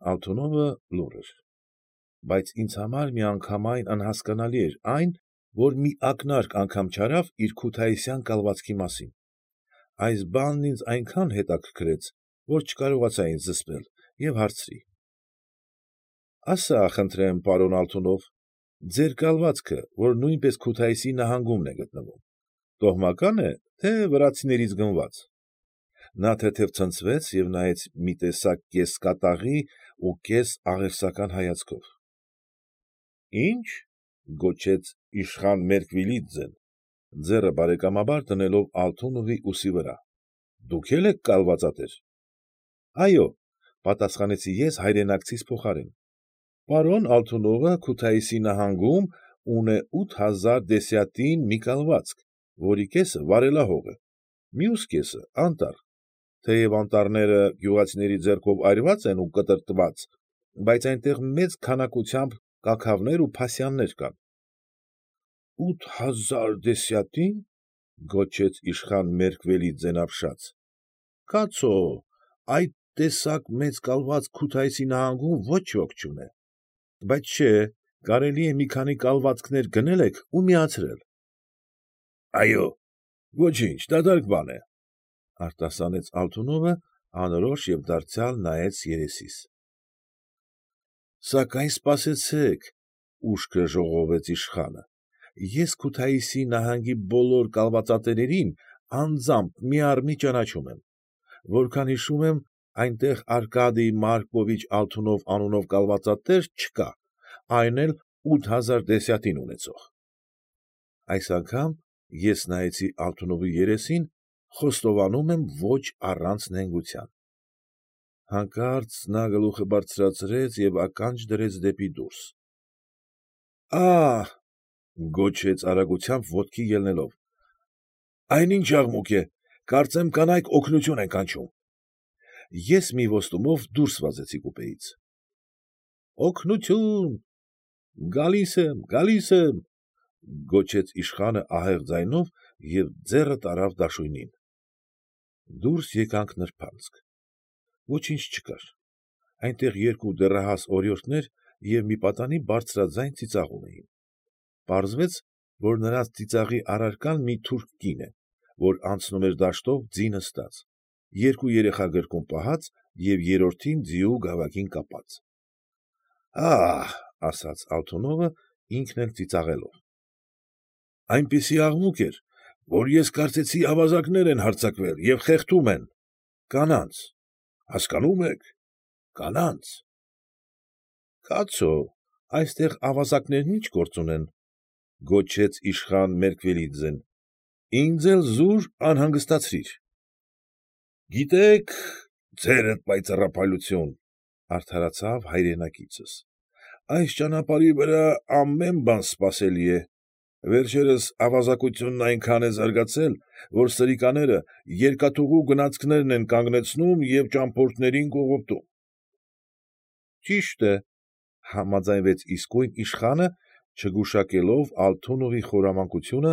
Ալթունովը լուռ էր, բայց ինձ համար միանգամայն անհասկանալի էր այն, որ մի ակնարկ անգամ չարավ իր քութայիսյան կալվածքի մասին. այս բանն ինձ այնքան հետաքրքրեց, որ չկարողացա ինձ զսպել և հարցրի. ֊ Ասա՛ խնդրեմ, պարոն Ալթունով, ձեր կալվածքը, որ նույնպես Քութայիսի նահանգումն է գտնվում, տոհմակա՞ն է, թե վրացիներից գնված։ Նա թեթև ցնցվեց և նայեց մի տեսակ կես֊կատաղի ու կես֊աղերսական հայացքով։ ֊ Ի՞նչ,֊ գոչեց իշխան Մերկվելիձեն, ձեռը բարեկամաբար դնելով Ալթունովի ուսի վրա,֊ դուք էլ եք կալվածատեր։ ֊ Այո,֊ պատասխանեցի ես հայրենակցիս փոխարեն,֊ պարոն Ալթունովը Քութայիսի նահանգում ունե 8000 դեսյատին մի կալվածք, որի կեսը վարելահող է, մյուս կեսը անտառ, թեև անտառները գյուղացիների ձեռքով այրված են ու կտրատված, բայց այնտեղ մեծ քանակությամբ կաքավներ ու փասյաններ կան։ ֊ 8000 դեսյատի՞ն,֊ գոչեց իշխան Մերկվելիձեն ապշած,֊ կացո՛, այդ տեսակ մեծ կալվածք Քութայիսի նահանգում ոչ ոք չունե։ Բայց չէ, կարելի է մի քանի կալվածքներ գնել եք ու միացրել։ ֊ Այո՛, ոչինչ, դատարկ բան է,֊ արտասանեց Ալթունովը անորոշ և դարձյալ նայեց երեսիս։ ֊ Սակայն սպասեցեք,֊ ուշքը ժողովեց իշխանը,֊ ես Քութայիսի նահանգի բոլոր կալվածատերերին անձամբ միառմի ճանաչում եմ, որքան հիշում եմ, այնտեղ Արկադիյ Մարկովիչ Ալթունով անունով կալվածատեր չկա, այն էլ 8000 դեսյատին ունեցող։ Այս անգամ ես նայեցի Ալթունովի երեսին, խոստովանում եմ ոչ առանց նենգության։ Հանկարծ նա գլուխը բարձրացրեց և ականջ դրեց դեպի դուրս։ ֊ Ա՛հ,֊ գոչեց արագությամբ ոտքի ելնելով,֊ այն ի՞նչ աղմուկ է, կարծեմ կանայք օգնություն են կանչում։ Ես մի ոստումով դուրս վազեցի կուպեից։ ֊ Օգնությո՛ւն, գալիս եմ, գալիս եմ,֊ գոչեց իշխանը ահեղ ձայնով և ձեռը տարավ դաշույնին։ Դուրս եկանք նրբանցք։ Ոչինչ չկար, այնտեղ երկու դեռահաս օրիորդներ և մի պատանի բարձրաձայն ծիծաղում էին։ Պարզվեց, որ նրանց ծիծաղի առարկան մի թուրք կին է, որ անցնում էր դաշտով ձի նստած, երկու երեխա գրկում պահած և երրորդին ձիու գավակին կապած։ ֊ Ա՛հ,֊ ասաց Ալթունովը ինքն էլ ծիծաղելով,֊ այնպիսի աղմուկ էր, որ ես կարծեցի ավազակներ են հարձակվել և խեղդում են… կանանց… հասկանո՞ւմ եք, կանանց… Կացո, այստեղ ավազակներն ի՞նչ գործ ունեն,֊ գոչեց իշխան Մերկվելիձեն,֊ ինձ էլ զուր անհանգստացրիր։ ֊ Գիտեք, ձերդ պայծառափայլություն,֊ արդարացավ հայրենակիցս,֊ այս ճանապարհի վրա ամեն բան սպասելի է. վերջերս ավազակությունն այնքան է զարգացել, որ սրիկաները երկաթուղու գնացքներն են կանգնեցնում և ճամփորդներին կողոպտում։ ֊ Ճիշտ է,֊ համաձայնվեց իսկույն իշխանը, չգուշակելով Ալթունովի խորամանկությունը,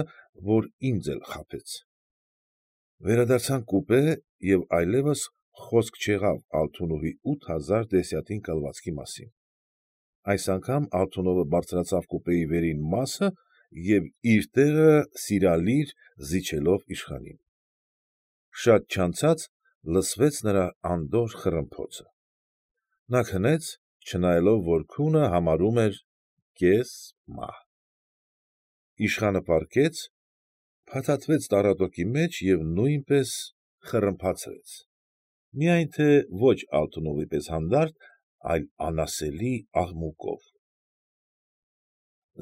որ ինձ էլ խաբեց։ Վերադարձանք կուպե, և այլևս խոսք չեղավ Ալթունովի 8000 դեսյատին կալվածքի մասին։ Այս անգամ Ալթունովը բարձրացավ կուպեի վերին մասը և իր տեղը սիրալիր զիջելով իշխանին։ Շատ չանցած լսվեց նրա անդորր խռմփոցը։ Նա քնեց, չնայելով, որ քունը համարյա կես մահ։ Իշխանը պառկեց, փաթաթվեց տառատոկի մեջ և նույնպես խռմփացրեց, միայն թե ոչ Ալթունովի պես հանդարտ, այլ անասելի աղմուկով։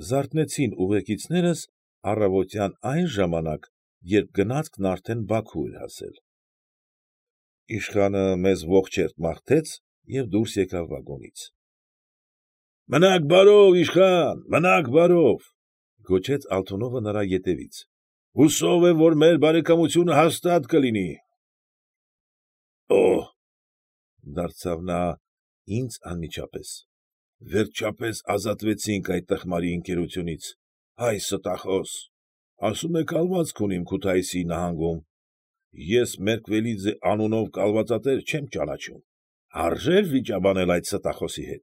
Զարթնեցին ուղեկիցներս առավոտյան այն ժամանակ, երբ գնացքն արդեն Բաքու էր հասել։ Իշխանը մեզ ողջերթ մաղթեց և դուրս եկավ վագոնից։ ֊ Մնաք բարով, իշխան, մնաք բարով,֊ գոչեց Ալթունովը նրա ետևից,֊ հուսով եմ, որ մեր բարեկամությունը հաստատ կլինի։ ֊ Օհ,֊ դարձավ նա ինձ անմիջապես,֊ վերջապես ազատվեցինք այդ տխմարի ընկերությունից, հայ ստախոս, ասում է կալվածք ունիմ Քութայիսի նահանգում, ես Մերկվելիձե անունով կալվածատեր չեմ ճանաչում, Արժե՞ր վիճաբանել այդ ստախոսի հետ։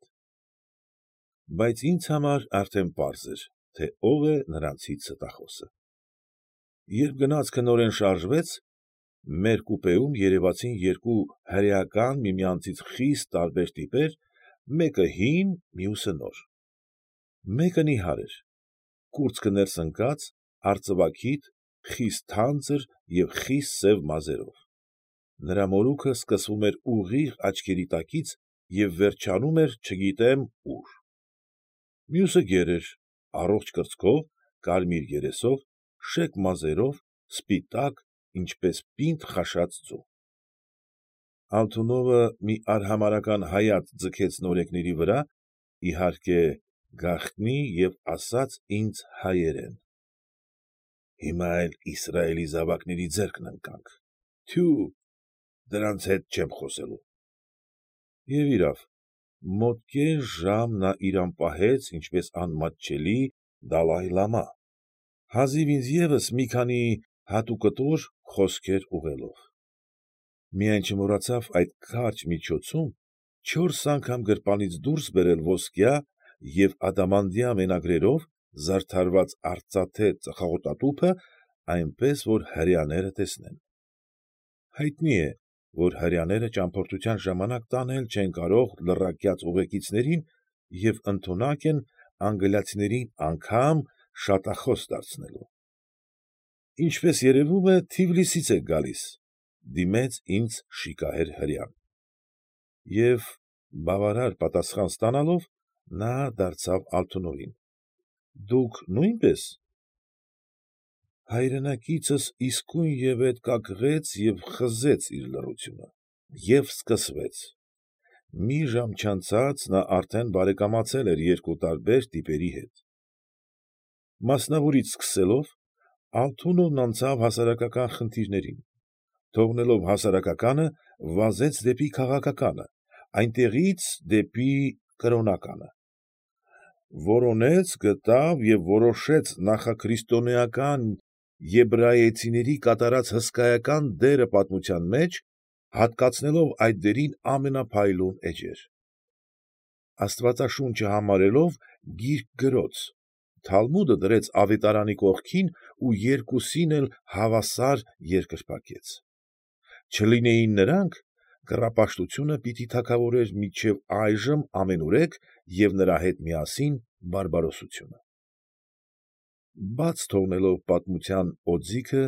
Բայց ինձ համար արդեն պարզ էր, թե ով է նրանցից ստախոսը։ Երբ գնացքը նորեն շարժվեց, մեր կուպեում երևացին երկու հրեական միմյանցից խիստ տարբեր տիպեր, մեկը հին, մյուսը նոր։ Մեկը նիհար էր, կուրծքը ներս ընկած, արծվաքիթ, խիստ թանձր և խիստ սև մազերով։ Նրա մորուքը սկսվում էր ուղիղ աչքերի տակից և վերջանում էր չգիտեմ ուր։ Մյուսը գեր էր, առողջ կրծքով, կարմիր երեսով, շեկ մազերով, սպիտակ, ինչպես պինդ խաշած ձու։ Ալթունովը մի արհամարհական հայացք ձգեց նորեկների վրա, իհարկե, գաղտնի և ասաց ինձ հայերեն. ֊ Հիմա էլ Իսրայելի զավակների ձեռքն ընկանք, թյո՛ւ, դրանց հետ չեմ խոսելու։ Եվ իրավ, մոտ կես ժամ նա իրան պահեց ինչպես անմատչելի դալայլամա, հազիվ ինձ ևս մի քանի հատուկտոր խոսքեր ուղղելով։ Միայն չմոռացավ այդ կարճ միջոցում 4 անգամ գրպանից դուրս բերել ոսկյա և ադամանդյա մենագրերով զարդարված արծաթե ծխախոտատուփը, այնպես որ հրեաները տեսնեն։ Հայտնի է, որ հրեաները ճամփորդության ժամանակ տանել չեն կարող լռակյաց ուղեկիցներին և ընդունակ են անգլիացիներին անգամ շատախոս դարձնելու։ ֊ Ինչպես երևում է, Թիֆլիսից եք գալիս,֊ դիմեց ինձ շիկահեր հրեան։ Եվ, բավարար պատասխան ստանալով, նա դարձավ Ալթունովին. ֊ Դուք նույնպե՞ս։ Հայրենակիցս իսկույնևեթ կակղեց և խզեց իր լռությունը։ Եվ սկսվեց։ Մի ժամ չանցած նա արդեն բարեկամացել էր երկու տարբեր տիպերի հետ։ Մասնավորից սկսելով, Ալթունովն անցավ հասարակական խնդիրներին, թողնելով հասարակականը, վազեց դեպի քաղաքականը, այնտեղից դեպի կրոնականը։ Որոնեց, գտավ և որոշեց նախաքրիստոնեական եբրայեցիների կատարած հսկայական դերը պատմության մեջ, հատկացնելով այդ դերին ամենափայլուն էջեր։ Աստվածաշունչը համարելով գիրք գրոց, Թալմուդը դրեց ավետարանի կողքին ու երկուսին էլ հավասար երկրպագեց։ Չլինեին նրանք, կռապաշտությունը պիտի թագավորեր մինչև այժմ ամենուրեք և նրա հետ միասին բարբարոսությունը։ Բաց թողնելով պատմության օձիքը,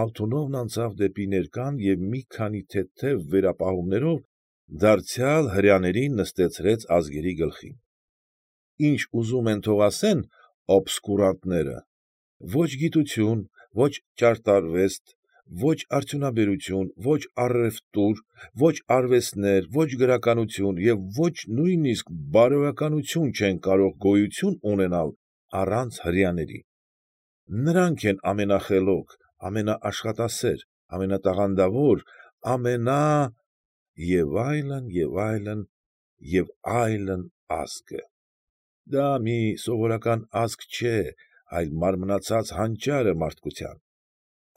Ալթունովն անցավ դեպի ներկան և մի քանի թեթև վերապահումներով դարձյալ հրեաներին նստեցրեց ազգերի գլխին։ Ինչ ուզում են թող ասեն օբսկուրանտները, ո՛չ գիտություն, ո՛չ ճարտարվեստ, ո՛չ արդյունաբերություն, ո՛չ առևտուր, ո՛չ արվեստներ, ո՛չ գրականություն և ո՛չ նույնիսկ բարոյականություն չեն կարող գոյություն ունենալ առանց հրեաների։ Նրանք են ամենախելոք, ամենաաշխատասեր, ամենատաղանդավոր, և այլն, և այլն, և այլն ազգը։ Դա մի սովորական ազգ չէ, այլ մարմնացած հանճարը մարդկության,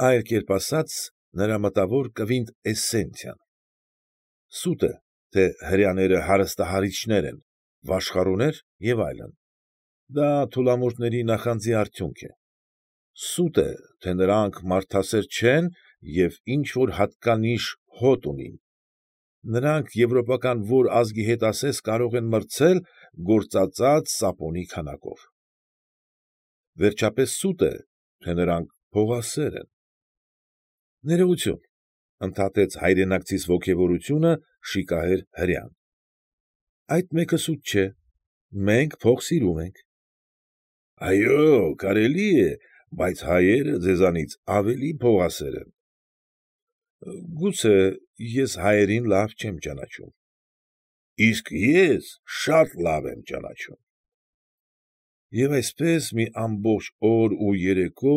այլ կերպ ասած, նրա մտավոր կվինտէսենցիան։ Սուտ է, թե հրեաները հարստահարիչներ են, վաշխառուներ և այլն։ Դա թուլամորթների նախանձի արդյունք է։ Սուտ է, թե նրանք մարդասեր չեն և ինչ֊որ հատկանիշ հոտ ունին։ Նրանք եվրոպական որ ազգի հետ ասես կարող են մրցել գործածած սապոնի քանակով։ Վերջապես սուտ է, թե նրանք փողասեր են։ ֊ Ներողություն,֊ ընդհատեց հայրենակցիս ոգևորությունը շիկահեր հրեան,֊ այդ մեկը սուտ չէ, մենք փող սիրում ենք։ ֊ Այո՛, կարելի է, բայց հայերը ձեզանից ավելի փողասեր են։ ֊ Գուցե, ես հայերին լավ չեմ ճանաչում։ ֊ Իսկ ես շատ լավ եմ ճանաչում։ Եվ այսպես մի ամբողջ օր ու երեկո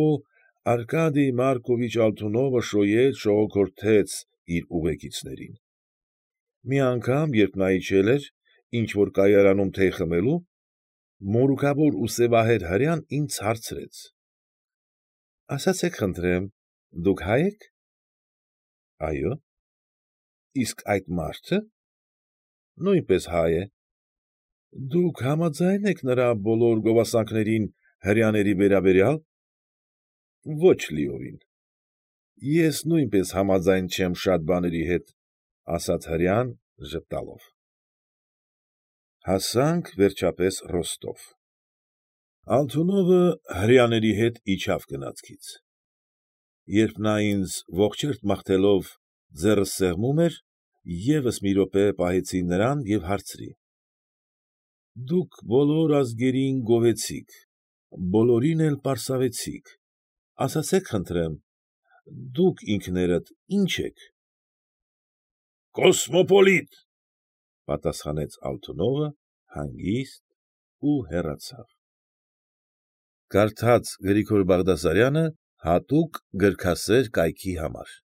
Արկադիյ Մարկովիչ Ալթունովը շոյեց֊շողոքորթեց իր ուղեկիցներին։ Մի անգամ, երբ նա իջել էր ինչ֊որ կայարանում թեյ խմելու, մորուքավոր ու սևահեր հրեան ինձ հարցրեց. ֊ Ասացեք խնդրեմ, դուք հա՞յ եք։ ֊ Այո։ ֊ Իսկ այդ մա՞րդը։ Նույնպես հայ է։ Դուք համաձա՞յն եք նրա բոլոր գովասանքներին հրեաների վերաբերյալ։ Ոչ լիովին։ Ես նույնպես համաձայն չեմ շատ բաների հետ, ֊ ասաց հրեան ժպտալով։ Հասանք, վերջապես, Ռոստով։ Ալթունովը հրեաների հետ իջավ գնացքից։ Երբ նա ինձ ողջերթ մաղթելով ձեռքս սեղմում էր, ևս մի րոպե պահեցի նրան և հարցրի. ֊ Դուք բոլոր ազգերին գովերգեցիք, բոլորին էլ պարսավեցիք, ասացեք խնդրեմ, դուք ինքներդ ի՞նչ եք։ ֊ Կոսմոպոլիտ, ֊ պատասխանեց Ալթունովը հանգիստ ու հեռացավ։ Կարդաց Գրիգոր Բաղդասարյանը հատուկ գրքասեր կայքի համար։